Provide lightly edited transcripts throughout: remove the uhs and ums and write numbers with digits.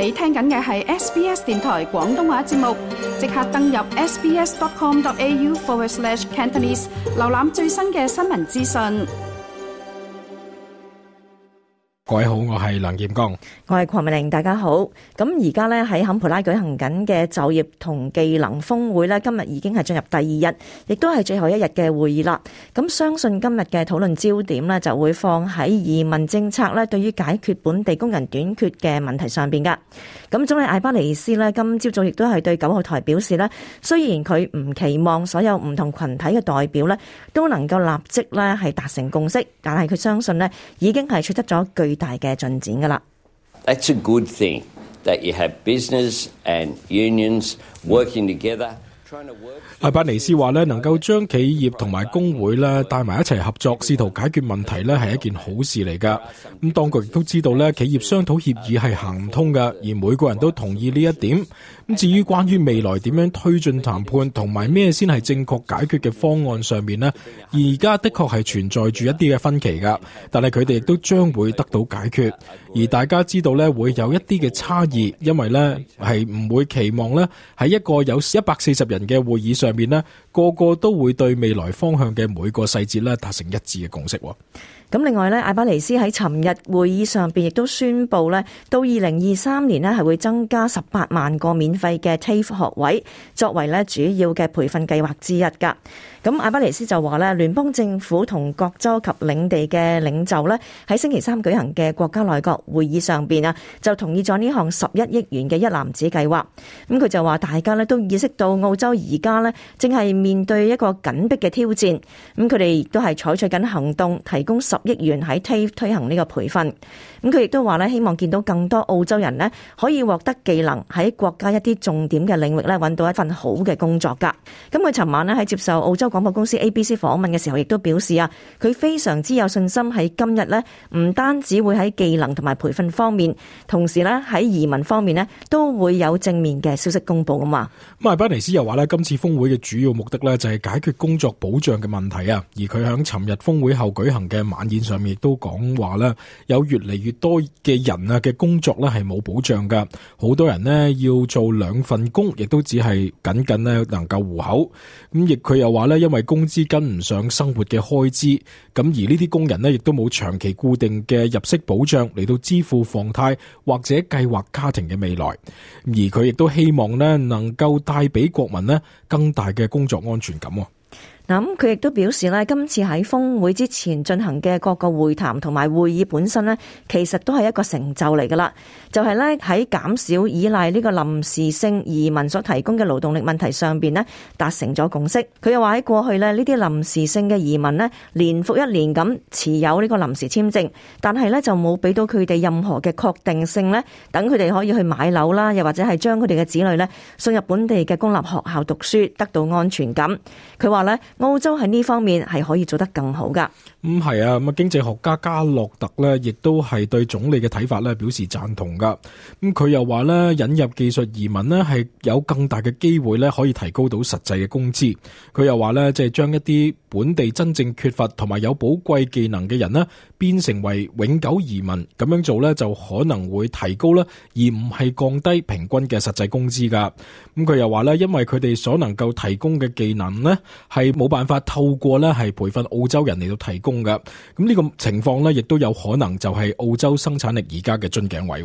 你聽緊嘅係 SBS 電台廣東話節目，即刻登入 sbs.com.au/Cantonese 瀏覽最新嘅新聞資訊。各位好，我係梁劍剛，我係鄺美玲，大家好。咁而家咧喺坎培拉舉行緊嘅就業同技能峰會咧，今日已經係進入第二日，亦都係最後一日嘅會議啦。咁相信今日嘅討論焦點咧就會放喺移民政策咧對於解決本地工人短缺嘅問題上邊噶。咁總理艾巴尼斯咧今朝早亦都係對9號台表示咧，雖然佢唔期望所有唔同群體嘅代表咧都能夠立即咧係達成共識，但係佢相信咧已經係取得咗巨大嘅進展噶啦。That's a good thing that you have business and unions working together. 艾巴尼斯話咧，能夠將企業同埋工會咧帶埋一齊合作，試圖解決問題咧係一件好事嚟噶。咁當局亦都知道咧，企業商討協議係行唔通噶，而每個人都同意呢一點。咁至於關於未來點樣推進談判同埋咩先係正確解決嘅方案上面呢，而家的確係存在住一啲嘅分歧噶，但係佢哋亦都將會得到解決。而大家知道咧會有一啲嘅差異，因為咧係唔會期望咧喺一個有140人嘅會議上面咧，個個都會對未來方向嘅每個細節咧達成一致嘅共識。咁另外咧，艾巴尼斯喺尋日會議上邊亦都宣布咧，到2023年咧係會增加18萬個免費嘅 TAFE 學位，作為咧主要嘅培訓計劃之一噶。咁艾巴尼斯就話咧，聯邦政府同各州及領地嘅領袖咧喺星期三舉行嘅國家內閣會議上邊啊，就同意咗呢項11億元嘅一籃子計劃。咁佢就話大家咧都意識到澳洲而家咧正係面對一個緊迫嘅挑戰，咁佢哋亦都係採取緊行動，提供10億元喺 TAFE 推行呢個培訓。咁佢亦都話咧，希望見到更多澳洲人咧可以獲得技能，喺國家一啲重點嘅領域咧揾到一份好嘅工作噶。咁佢尋晚咧喺接受澳洲廣播公司 ABC 訪問嘅時候，亦都表示啊，佢非常之有信心喺今日咧，唔單止會喺技能同埋培訓方面，同時咧喺移民方面咧都會有正面嘅消息公布噶嘛。咁艾巴尼斯又話咧，今次峰會嘅主要目的咧就係解決工作保障嘅問題啊。而佢響尋日峰會後舉行嘅晚宴上面亦都講話咧，有越嚟越多嘅人啊嘅工作咧係冇保障噶，好多人呢要做2份工，亦都只係僅僅咧能夠糊口。咁亦佢又話咧，因為工資跟唔上生活嘅開支，咁而呢啲工人呢亦都冇長期固定嘅入息保障嚟到支付房貸或者計劃家庭嘅未來。而佢亦都希望呢能夠帶俾國民呢更大嘅工作安全感。嗱，咁佢亦都表示咧，今次喺峰會之前進行嘅各個會談同埋會議本身咧，其實都係一個成就嚟噶啦。就係咧喺減少依賴呢個臨時性移民所提供嘅勞動力問題上邊咧，達成咗共識。佢又話喺過去咧，呢啲臨時性嘅移民咧，年復一年咁持有呢個臨時簽證，但係咧就冇俾到佢哋任何嘅確定性咧，等佢哋可以去買樓啦，又或者係將佢哋嘅子女咧送入本地嘅公立學校讀書，得到安全感。佢話咧，澳洲喺呢方面係可以做得更好噶。係啊，咁經濟學家加洛特咧，亦都係對總理嘅睇法咧表示贊同噶。咁佢又話咧，引入技術移民咧係有更大嘅機會咧，可以提高到實際嘅工資。佢又話咧，即係將一啲本地真正缺乏同埋有寶貴技能嘅人咧，變成為永久移民，咁樣做咧就可能會提高啦，而唔係降低平均嘅實際工資噶。咁佢又話咧，因為佢哋所能夠提供嘅技能咧，係冇辦法透過咧係培訓澳洲人嚟到提供噶。咁呢個情況咧，亦都有可能就係澳洲生產力而家嘅樽頸位。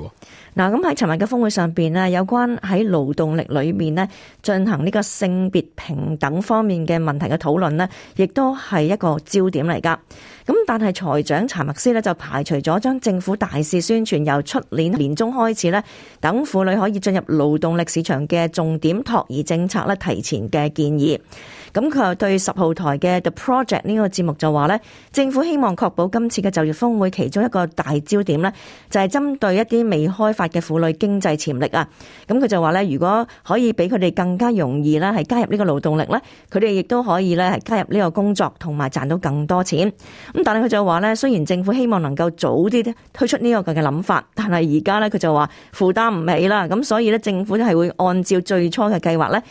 嗱，咁喺尋日嘅峰會上邊咧，有關喺勞動力裏面咧進行呢個性別平等方面嘅問題嘅討論咧，亦都係一個焦點嚟噶。咁但係財長查默斯咧就排除咗將政府大肆宣傳由出年年中開始咧，等婦女可以進入勞動力市場嘅重點托兒政策咧提前嘅建議。咁佢又對10號台嘅 The Project 呢個節目就話咧，政府希望確保今次嘅就業峰會其中一個大焦點咧，就係針對一啲未開發嘅婦女經濟潛力啊。咁佢就話咧，如果可以俾佢哋更加容易咧係加入呢個勞動力咧，佢哋亦都可以咧係加入呢個工作同埋賺到更多錢。咁但係佢就話咧，雖然政府希望能夠早啲推出呢個嘅諗法，但係而家咧佢就話負擔唔起啦。咁所以咧政府係會按照最初嘅計劃咧，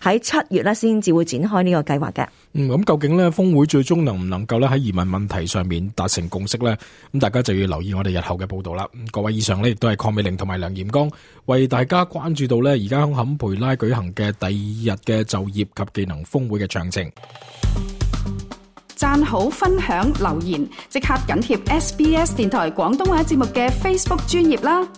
喺7月咧先至會展開呢個計劃嘅。咁究竟咧峰會最終能唔能夠咧喺移民問題上面達成共識呢？咁大家就要留意我哋日後嘅報道啦。各位，以上呢亦都係鄺美玲同埋梁炎剛為大家關注到呢而家喺坎培拉舉行嘅第2日嘅就業及技能峰會嘅詳情。讚好、分享、留言，即刻緊貼SBS 電台廣東話節目嘅 Facebook 專頁啦！